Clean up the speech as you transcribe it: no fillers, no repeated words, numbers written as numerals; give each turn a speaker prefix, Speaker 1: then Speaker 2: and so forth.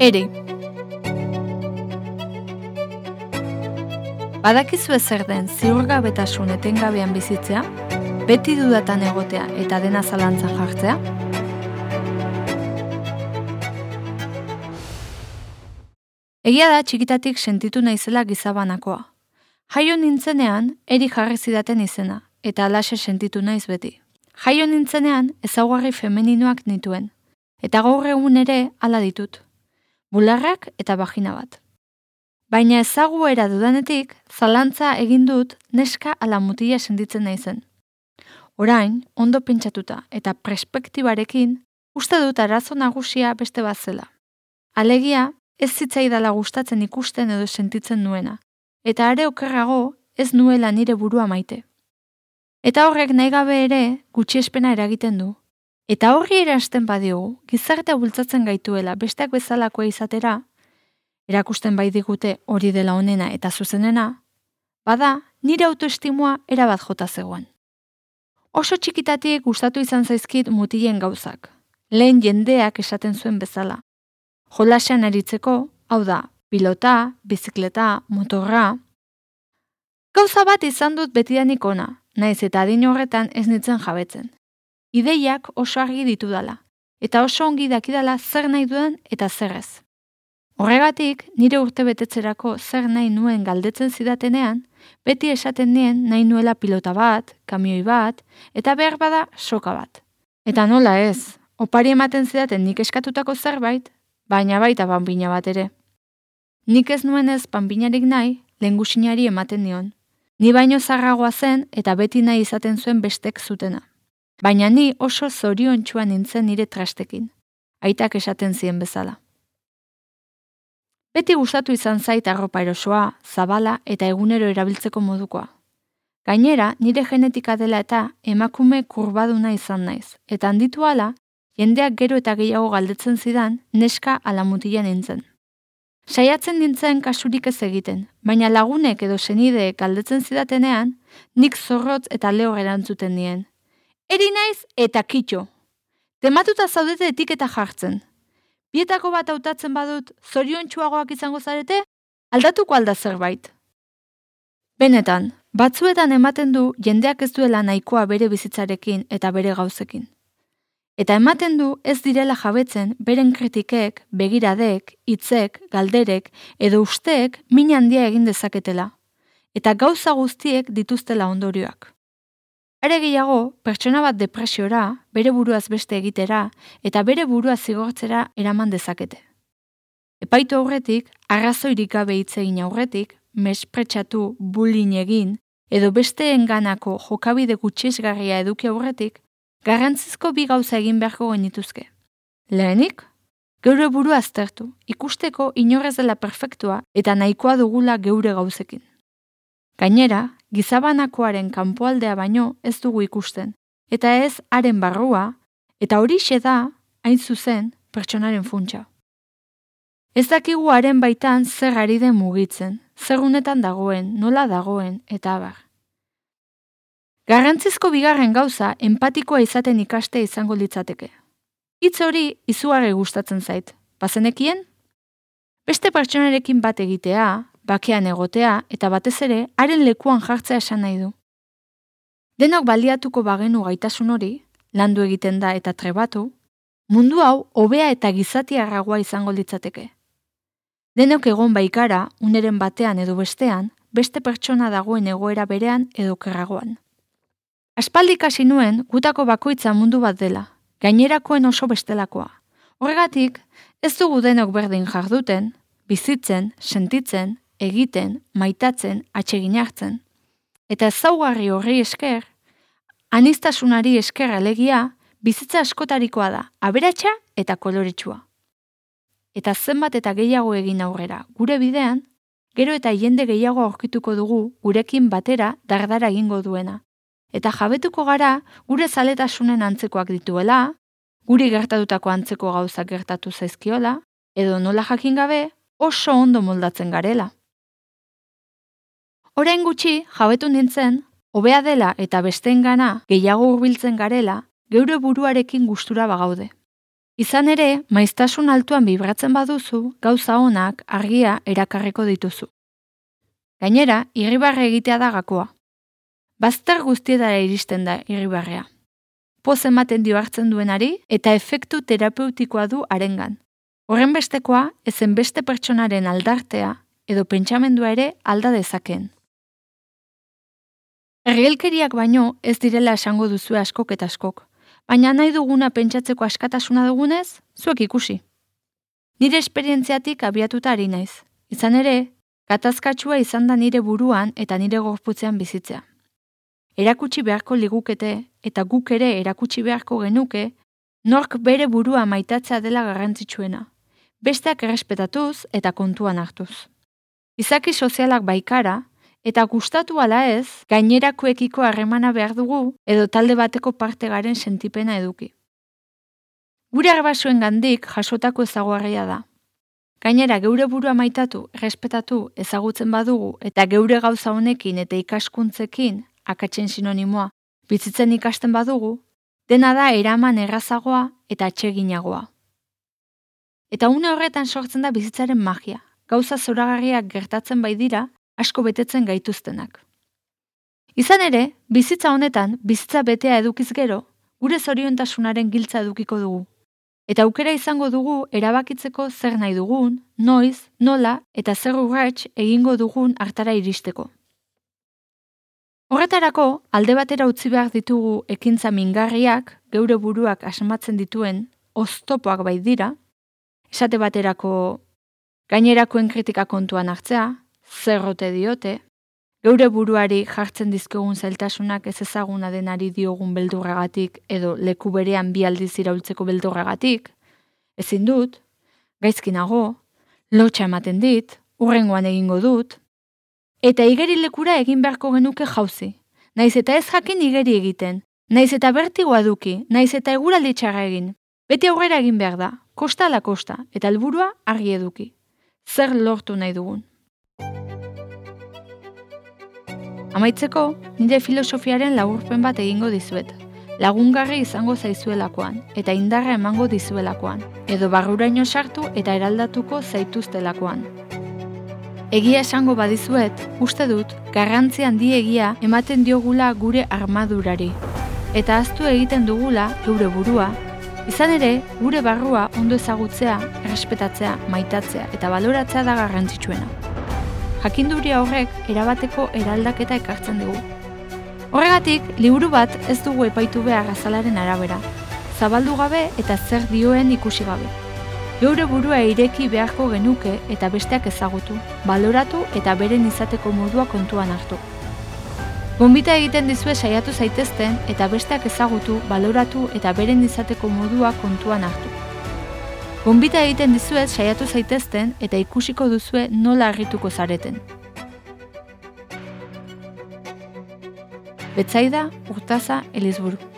Speaker 1: Ere. Badakizu zer den ziurgabetasun etengabean bizitzea, beti dudatan egotea eta dena zalantzan jartzea? Egia da txikitatik sentitu naizela gizabanakoa. Jaio nintzenean, eri jarri zidaten izena, eta alaxe sentitu naiz beti. Jaio nintzenean, ezaugarri femeninoak nituen, eta gaur egun ere hala ditut. Bularrak eta bagina bat. Baina ezaguera dudanetik, zalantza egin dut neska ala mutila sentitzen naizen. Orain, ondo pentsatuta eta perspektibarekin, uste dut arazo nagusia beste bat zela. Alegia, ez zitzaidala gustatzen ikusten edo sentitzen nuena, eta are okerrago ez nuela nire burua maite. Eta horrek nahi gabe ere gutxiespena eragiten du. Eta horri eransten badiogu, gizartea bultzatzen gaituela besteak bezalakoa izatera, erakusten bai digute hori dela onena eta zuzenena, bada nire autoestimua erabat jota zegoen. Oso txikitatik gustatu izan zaizkit mutilen gauzak, lehen jendeak esaten zuen bezala. Jolasean aritzeko, hau da, pilota, bizikleta, motorra. Gauza bat izan dut betidanik ona, naiz eta adin horretan ez nintzen jabetzen. Ideiak oso argi ditudala, eta oso ongi dakidala zer nahi dudan eta zer ez. Horregatik, nire urte betetzerako zer nahi nuen galdetzen zidatenean, beti esaten nien nahi nuela pilota bat, kamioi bat, eta behar bada soka bat. Eta nola ez, opari ematen zidaten nik eskatutako zerbait, baina baita panpina bat ere. Nik ez nuen ez panpinarik nahi, lehengusinari ematen nion. Ni baino zarragoa zen eta beti nahi izaten zuen bestek zutena. Baina ni oso zoriontsuan nintzen nire trastekin, aitak esaten zien bezala. Beti gustatu izan zait arropa erosoa, zabala eta egunero erabiltzeko modukoa. Gainera, nire genetika dela eta emakume kurbaduna izan naiz, eta handitu hala, jendeak gero eta gehiago galdetzen zidan neska ala mutila nintzen. Saiatzen nintzen kasurik ez egiten, baina lagunek edo senideek galdetzen zidatenean, nik zorrotz eta lehor erantzuten nien. Eri naiz eta kitxo. Tematuta zaudete etiketa jartzen. Bietako bat hautatzen badut zoriontsuagoak izango zarete, aldatuko alda zerbait. Benetan, batzuetan ematen du jendeak ez duela nahikoa bere bizitzarekin eta bere gauzekin. Eta ematen du ez direla jabetzen beren kritikek, begiradek, hitzek, galderek edo usteek min handia egin dezaketela. Eta gauza guztiek dituztela ondorioak. Are gehiago, pertsona bat depresiora, bere buruaz beste egitera eta bere burua zigortzera eraman dezakete. Epaitu aurretik, arrazoirik gabe hitz egin aurretik, mespretxatu, bullying egin edo besteenganako jokabide gutxiesgarria eduki aurretik, garrantzizko bi gauza egin beharko genituzke. Lehenik, geure burua aztertu, ikusteko inorrez dela perfektua eta nahikoa dugula geure gauzekin. Gainera, gizabanakoaren kanpoaldea baino ez dugu ikusten, eta ez haren barrua, eta horixe da, hain zuzen, pertsonaren funtsa. Ez dakigu haren baitan zer ari den mugitzen, zer unetan dagoen, nola dagoen, eta abar. Garrantzizko bigarren gauza empatikoa izaten ikaste izango litzateke. Hitz hori izugarri gustatzen zait, bazenekien? Beste pertsonarekin bat egitea, bakean egotea eta batez ere haren lekuan jartzea esan nahi du. Denok baliatuko bagenu gaitasun hori, landu egiten da eta trebatu, mundu hau hobea eta gizatiarragoa izango litzateke. Denok egon baikara, uneren batean edo bestean, beste pertsona dagoen egoera berean edo okerragoan. Aspaldi ikasi nuen gutako bakoitza mundu bat dela, gainerakoen oso bestelakoa. Horregatik, ez dugu denok berdin jarduten, bizitzen, sentitzen, egiten, maitatzen, atsegin hartzen. Eta ezaugarri horri esker, aniztasunari esker alegia, bizitza askotarikoa da, aberatsa eta koloretsua. Eta zenbat eta gehiago egin aurrera, gure bidean, gero eta jende gehiago aurkituko dugu gurekin batera dardara egingo duena. Eta jabetuko gara gure zaletasunen antzekoak dituela, guri gertatutako antzeko gauzak gertatu zaizkiola, edo nola jakin gabe oso ondo moldatzen garela. Orain gutxi jabetu nintzen, hobea dela eta besteengana gehiago hurbiltzen garela, geure buruarekin gustura bagaude. Izan ere, maiztasun altuan bibratzen baduzu, gauza onak argia erakarriko dituzu. Gainera, irribarre egitea da gakoa. Bazter guztietara iristen da irribarrea. Poz ematen dio hartzen duenari eta efektu terapeutikoa du harengan. Horren bestekoa, ezen beste pertsonaren aldartea edo pentsamendua ere alda dezakeen. Ergelkeriak baino ez direla esango duzue askok eta askok, baina nahi duguna pentsatzeko askatasuna dugunez, zuek ikusi. Nire esperientziatik abiatuta ari naiz. Izan ere, katazkatsua izan da nire buruan eta nire gorputzean bizitzea. Erakutsi beharko ligukete eta guk ere erakutsi beharko genuke, nork bere burua maitatzea dela garrantzitsuena, besteak errespetatuz eta kontuan hartuz. Izaki sozialak baikara, eta gustatu ala ez, gainerakoekiko harremana behar dugu edo talde bateko parte garen sentipena eduki. Gure arbasoen gandik jasotako ezaguarria da. Gainera geure burua maitatu, errespetatu, ezagutzen badugu eta geure gauza honekin eta ikaskuntzekin, akatsen sinonimoa, bizitzen ikasten badugu, dena da eraman errazagoa eta atseginagoa. Eta une horretan sortzen da bizitzaren magia, gauza zoragarriak gertatzen bai dira, asko betetzen gaituztenak. Izan ere, bizitza honetan, bizitza betea edukiz gero, gure zoriontasunaren giltza edukiko dugu. Eta aukera izango dugu erabakitzeko zer nahi dugun, noiz, nola eta zer urrats egingo dugun hartara iristeko. Horretarako, alde batera utzi behar ditugu ekintza mingarriak, geure buruak asmatzen dituen oztopoak bai dira, esate baterako gainerakoen kritika kontuan hartzea, zerrote diote, geure buruari jartzen dizkegun zailtasunak ez ezaguna denari diogun beldurragatik edo leku berean bi aldiz iraultzeko beldurragatik, ezin dut, gaizki nago, lotxa ematen dit, hurrengoan egingo dut, eta igerilekura egin beharko genuke jauzi. Naiz eta ez jakin igeri egiten, naiz eta bertigoa duki, naiz eta eguraldi txarra egin. Beti aurrera egin behar da, kosta ala kosta, eta helburua argi eduki. Zer lortu nahi dugun. Amaitzeko, nire filosofiaren laburpen bat egingo dizuet. Lagungarri izango zaizuelakoan, eta indarra emango dizuelakoan, edo barruraino sartu eta eraldatuko zaituztelakoan. Egia esango badizuet, uste dut, garrantzi handiegia ematen diogula gure armadurari. Eta ahaztu egiten dugula geure burua, izan ere, gure barrua ondo ezagutzea, errespetatzea, maitatzea eta baloratzea da garrantzitsuena. Jakinduria horrek erabateko eraldaketa ekartzen digu. Horregatik, liburu bat ez dugu epaitu behar azalaren arabera, zabaldu gabe eta zer dioen ikusi gabe. Geure burua ireki beharko genuke eta besteak ezagutu, baloratu eta beren izateko modua kontuan hartu. Gonbita egiten dizue saiatu zaitezten eta besteak ezagutu, baloratu eta beren izateko modua kontuan hartu. Gonbita egiten dizuet saiatu zaitezten eta ikusiko duzue nola harrituko zareten. Betsaida Urtaza Elizburu.